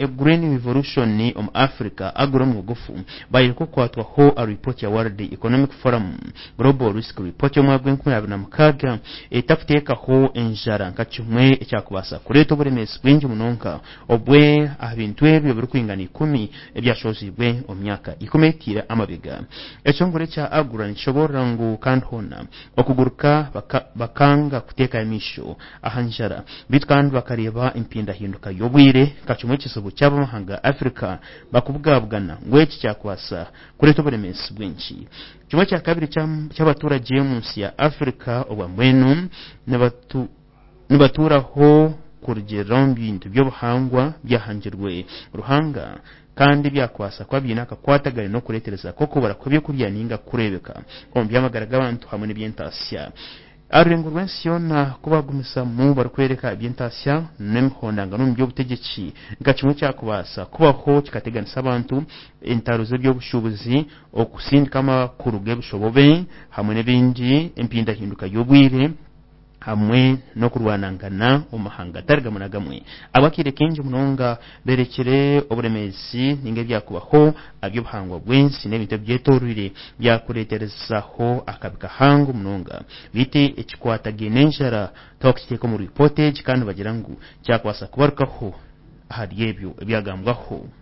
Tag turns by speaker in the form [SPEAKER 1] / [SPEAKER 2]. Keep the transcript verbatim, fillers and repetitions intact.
[SPEAKER 1] Green Revolution omu Africa AGRA omu bugufu baayereka okukwatwaho aha ripooti ya World Economic Forum Global Risk Report y'omwaka gw'enkumi abiri na mukaaga etakuteekaho enjara nka kimwe ekyakubaasa kureeta oburemeezi bwingi munonga obwe aha bintu ebyo birikwingana ikumi ebyashoziibwe omu myaka ikumi etiire amabega. Ekitongore kya AGRA nikishoboorora ngu kandi hoona okuguruka baka, bakanga kuteeka amaisho aha njara beitu kandi bakareeba empindahinduka y'obwire nka kimwe ekizibu ky'abamahanga ga Africa bakubugabugana ngu eki kyakubaasa kureeta oburemeezi bwingi. Kimwe kya kabiri ky'abaturage omu nsi ya Africa obwa mbwenu nibatu, nibatuuraho kurugiirira omu bintu by'obuhangwa byahangirwe Ruhanga kandi byakubaasa kuba biine akakwatagane n'okureetereza kw'okubura kw'ebyokurya ninga kureebeka omu by'amagara g'abantu hamwe n'eby'entaasya. Aha rurengo rw'ensi yoona ku bagumizamu barikworeka eby'entaasya n'emihondangano omu by'obutegyeki nka kimwe kyakubaasa kubaho kikateganisa abantu, entaro z'eby'obushuubuzi, okusindika amakuru g'ebishobobe hamwe n'ebindi, empindahinduka y'obwire hamwe n'okurwanangana omu mahanga gatari gamwe na gamwe. Abakaire kaingi munonga berekire oburemeezi ninga ebyakubaho aha by'obuhangwa bw'ensi n'ebintu ebigyetoreire byakureeterezaho akabi kahango munonga. Beitu ekikwatagaine n'enjara tibakukiteeka omu ripooti egi kandi nibagira ngu kyakubaasa kubarukaho ahari ebyo ebyagambwaho.